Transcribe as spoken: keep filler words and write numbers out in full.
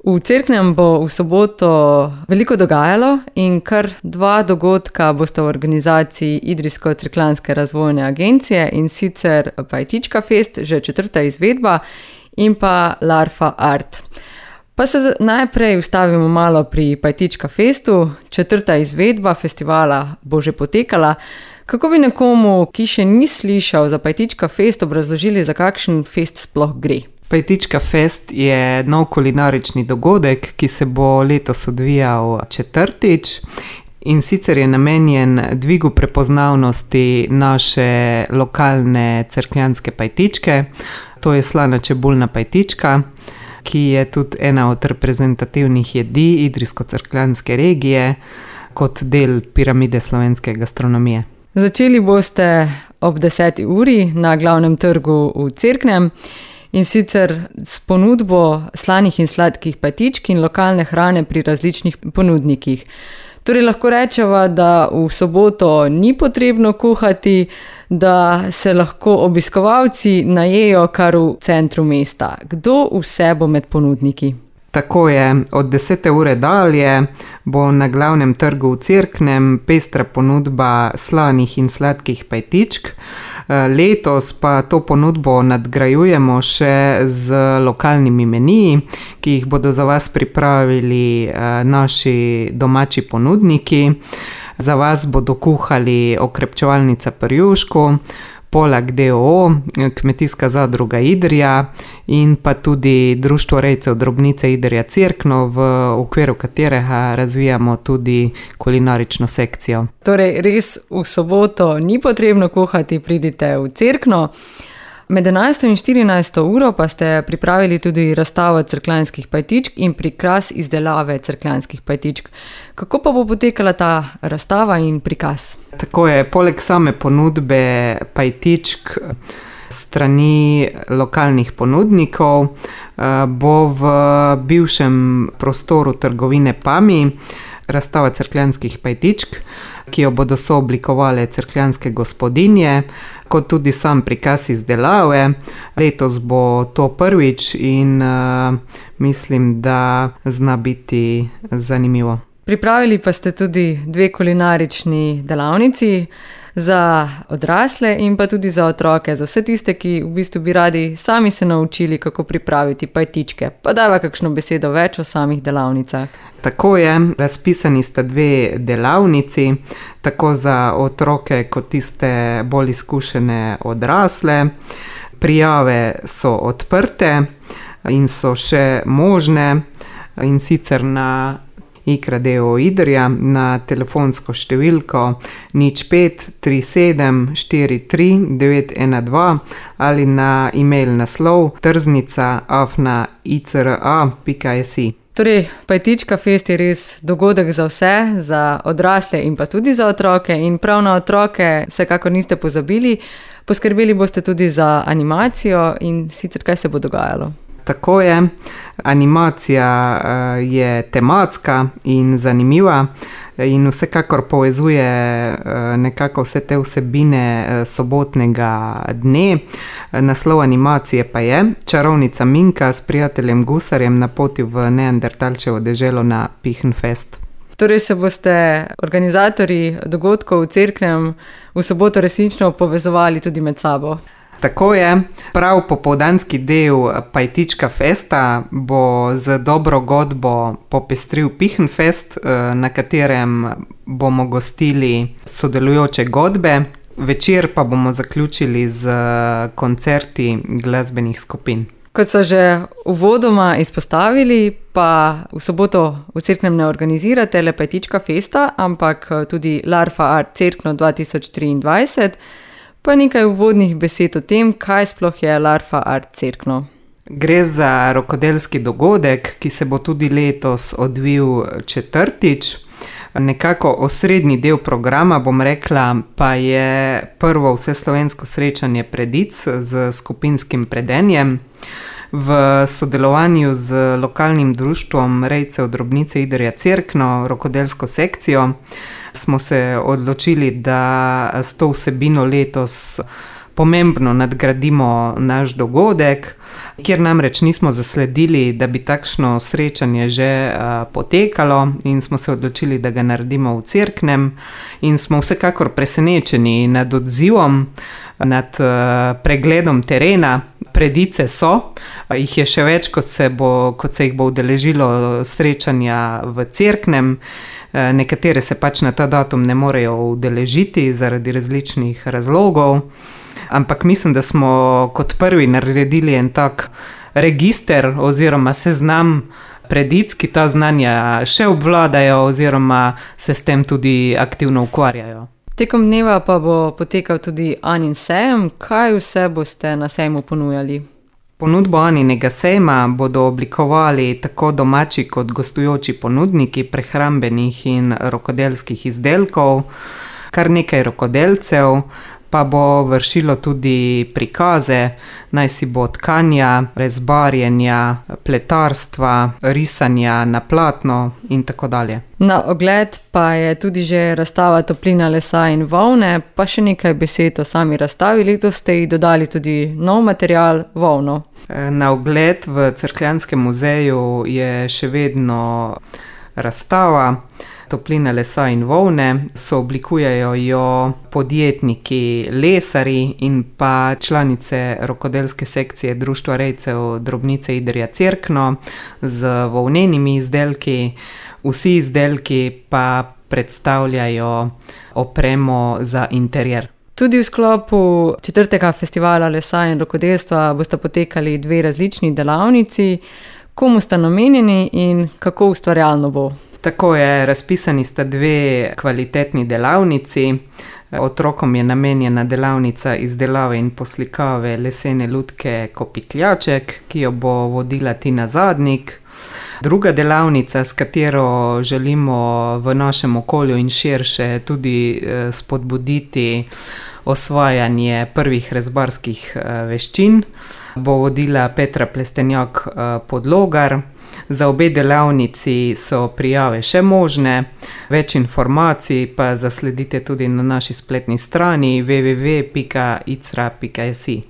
V Cerknem bo v soboto veliko dogajalo in kar dva dogodka bosta v organizaciji Idrijsko-Cerkljanske razvojne agencije, in sicer Pajtička fest, že četrta izvedba, in pa Larfa art. Pa se najprej ustavimo malo pri Pajtička festu. Četrta izvedba festivala bo že potekala. Kako bi nekomu, ki še ni slišal za Pajtička fest, obrazložili, za kakšen fest sploh gre? Pajtička fest je nov kulinarični dogodek, ki se bo letos odvijal četrtič, in sicer je namenjen dvigu prepoznavnosti naše lokalne cerkljanske pajtičke. To je slana čebulna pajtička, ki je tudi ena od reprezentativnih jedi Idrijsko-Cerkljanske regije kot del piramide slovenske gastronomije. Začeli boste ob deseti uri na glavnem trgu v Cerknem, in sicer s ponudbo slanih in sladkih pajtičk in lokalne hrane pri različnih ponudnikih. Torej lahko rečeva, da v soboto ni potrebno kuhati, da se lahko obiskovalci najejo kar v centru mesta. Kdo vse bo med ponudniki? Tako je, od desete ure dalje bo na glavnem trgu v Cerknem pestra ponudba slanih in sladkih pajtičk. Letos pa to ponudbo nadgrajujemo še z lokalnimi meniji, ki jih bodo za vas pripravili naši domači ponudniki. Za vas bodo kuhali Okrepčevalnica pri Jušku, Polak d. o. o., Kmetijska zadruga Idrija in pa tudi Društvo rejcev drobnice Idrija Cerkno, v okviru katerega razvijamo tudi kulinarično sekcijo. Torej res v soboto ni potrebno kuhati, pridite v Cerkno. Med enajsto in štirinajsto uro pa ste pripravili tudi razstavo cerkljanskih pajtičk in prikaz izdelave cerkljanskih pajtičk. Kako pa bo potekala ta razstava in prikaz? Tako je, poleg same ponudbe pajtičk strani lokalnih ponudnikov bo v bivšem prostoru trgovine Pami razstava cerkljanskih pajtičk, ki jo bodo sooblikovale cerkljanske gospodinje, kot tudi sam prikaz izdelave. Letos bo to prvič in uh, mislim, da zna biti zanimivo. Pripravili pa ste tudi dve kulinarični delavnici za odrasle in pa tudi za otroke, za vse tiste, ki v bistvu bi radi sami se naučili, kako pripraviti pajtičke. Pa dajva kakšno besedo več o samih delavnicah. Tako je, razpisani sta dve delavnici, tako za otroke kot tiste bolj izkušene odrasle. Prijave so odprte in so še možne, in sicer na Ikra d. o. o. Idrija na telefonsko številko nič pet tri sedem štiri tri devet ena dva ali na e-mail naslov trznica afna icra pika si. Torej, Pajtička fest je res dogodek za vse, za odrasle in pa tudi za otroke, in prav na otroke vsekakor niste pozabili. Poskrbeli boste tudi za animacijo, in sicer kaj se bo dogajalo? Tako je, animacija je tematska in zanimiva in vsekakor povezuje nekako vse te vsebine sobotnega dne. Naslov animacije pa je Čarovnica Minka s prijateljem Gusarjem na poti v Neandertalčevo deželo na Pihnfest. Torej se boste organizatorji dogodkov v Cerknem v soboto resnično povezovali tudi med sabo. Tako je, prav popoldanski del Pajtička festa bo z dobro godbo popestril Pihnfest, na katerem bomo gostili sodelujoče godbe. Večer pa bomo zaključili z koncerti glasbenih skupin. Kot so že uvodoma izpostavili, pa v soboto v Cerknem ne organizirate le Pajtička festa, ampak tudi Larfa art Cerkno dva tisoč triindvajset. Pa nekaj uvodnih besed o tem, kaj sploh je Larfa art Cerkno. Gre za rokodelski dogodek, ki se bo tudi letos odvil četrtič. Nekako osrednji del programa, bom rekla, pa je prvo vseslovensko srečanje predic z skupinskim predenjem. V sodelovanju z lokalnim društvom rejcev drobnice Idrija Cerkno, rokodelsko sekcijo, smo se odločili, da s to vsebino letos pomembno nadgradimo naš dogodek, kjer namreč nismo zasledili, da bi takšno srečanje že uh, potekalo in smo se odločili, da ga naredimo v Cerknem in smo vsekakor presenečeni nad odzivom, nad uh, pregledom terena. Predice so, jih je še več, kot se, bo, kot se jih bo udeležilo srečanja v Cerknem. Nekatere se pač na ta datum ne morejo udeležiti zaradi različnih razlogov, ampak mislim, da smo kot prvi naredili en tak register oziroma seznam predic, ki ta znanja še obvladajo oziroma se s tem tudi aktivno ukvarjajo. Tekom dneva pa bo potekal tudi Anin sejem. Kaj vse boste na sejmu ponujali? Ponudbo Aninega sejma bodo oblikovali tako domači kot gostujoči ponudniki prehrambenih in rokodelskih izdelkov, kar nekaj rokodelcev pa bo vršilo tudi prikaze, naj si bo tkanja, rezbarjenja, pletarstva, risanja na platno in tako dalje. Na ogled pa je tudi že razstava Toplina lesa in volne, pa še nekaj besed o sami razstavi. Letos ste ji dodali tudi nov material, volno. Na ogled v Cerkljanskem muzeju je še vedno razstava Toplina lesa in volne, sooblikujejo jo podjetniki lesari in pa članice rokodelske sekcije Društva rejcev Drobnice Idrija Cerkno z volnenimi izdelki. Vsi izdelki pa predstavljajo opremo za interjer. Tudi v sklopu četrtega festivala lesa in rokodelstva bosta potekali dve različni delavnici. Komu sta namenjeni in kako ustvarjalno bo? Tako je, razpisani sta dve kvalitetni delavnici. Otrokom je namenjena delavnica izdelave in poslikave lesene lutke Kopitljaček, ki jo bo vodila Tina Zadnik. Druga delavnica, s katero želimo v našem okolju in širše tudi spodbuditi osvajanje prvih rezbarskih veščin, bo vodila Petra Plestenjak Podlogar. Za obe delavnici so prijave še možne, več informacij pa zasledite tudi na naši spletni strani w w w pika icra pika si.